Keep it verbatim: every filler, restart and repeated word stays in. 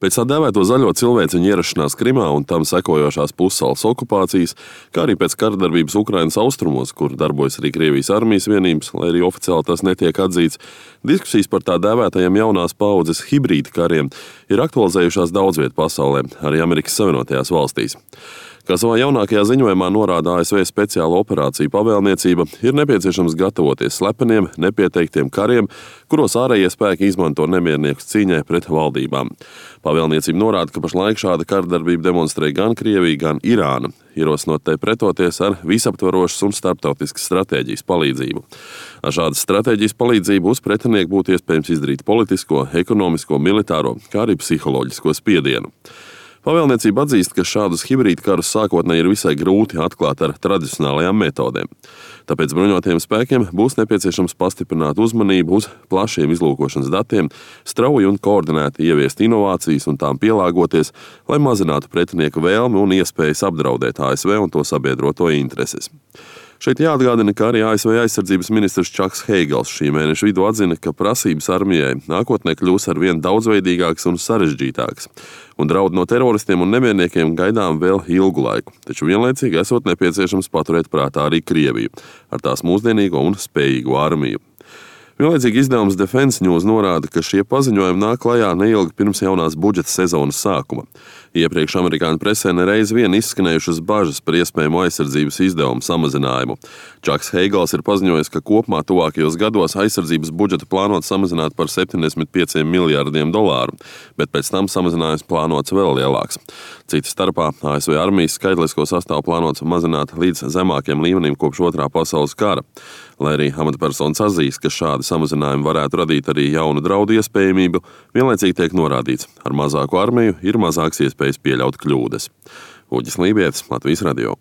Pēc tā dēvēto zaļo cilvēciņu ierašanās Krimā un tam sekojošās pussalas okupācijas, kā arī pēc karadarbības Ukrainas austrumos, kur darbojas arī Krievijas armijas vienības, lai arī oficiāli tas netiek atzīts, diskusijas par tā dēvētajiem jaunās paaudzes hibrīda kariem ir aktualizējušās daudz viet pasaulē, arī Amerikas Savienotajās valstīs. Kā savā jaunākajā ziņojumā norāda A S V speciāla operācija pavēlniecība, ir nepieciešams gatavoties slepeniem, nepieteiktiem kariem, kuros ārējie spēki izmanto nemierniekus cīņai pret valdībām. Pavēlniecība norāda, ka pašlaik šāda karadarbība demonstrē gan Krievija, gan Irāna, ierosinot tai pretoties ar visaptvarošas un starptautiskas stratēģijas palīdzību. Ar šādas stratēģijas palīdzību uz pretinieku būtu iespējams izdarīt politisko, ekonomisko, militāro, kā arī psiholoģisko spiedienu. Pavēlniecība atzīst, ka šādus hibrīda karus sākotnēji ir visai grūti atklāt ar tradicionālajām metodēm. Tāpēc bruņotajiem spēkiem būs nepieciešams pastiprināt uzmanību uz plašiem izlūkošanas datiem, strauji un koordinēti ieviest inovācijas un tām pielāgoties, lai mazinātu pretinieku vēlmi un iespējas apdraudēt A S V un to sabiedroto intereses. Šeit jāatgādina, ka arī A S V aizsardzības ministrs Čaks Heigels šī mēneša vidū atzina, ka prasības armijai nākotnē kļūs arvien daudzveidīgākas un sarežģītākas, un draudu no teroristiem un nemierniekiem gaidām vēl ilgu laiku, taču vienlaicīgi esot nepieciešams paturēt prātā arī Krieviju ar tās mūsdienīgo un spējīgo armiju. Vienlaicīgi izdevums Defense News norāda, ka šie paziņojumi nāk klajā neilgi pirms jaunās budžeta sezonas sākuma. Iepriekš amerikāņu presē nereiz vien izskanējušas bažas par iespējamo aizsardzības izdevumu samazinājumu. Čaks Heigels ir paziņojis, ka kopumā tuvākajos gados aizsardzības budžetu plānot samazināt par septiņdesmit pieciem miljardiem dolāru, bet pēc tam samazinājums plānots vēl lielāks. Cita starpā A S V armijas skaitlisko sastāvu plānots mazināt līdz zemākiem līmenim kopš otrā pasaules kara. Lai arī amatpersonas atzīst, ka šādi samazinājumi varētu radīt arī jaunu draudu iespējamību, vienlaicīgi tiek norādīts, ar mazāku armiju ir mazāks iespējas pieļaut kļūdas. Uģis Lībietis, Latvijas radio.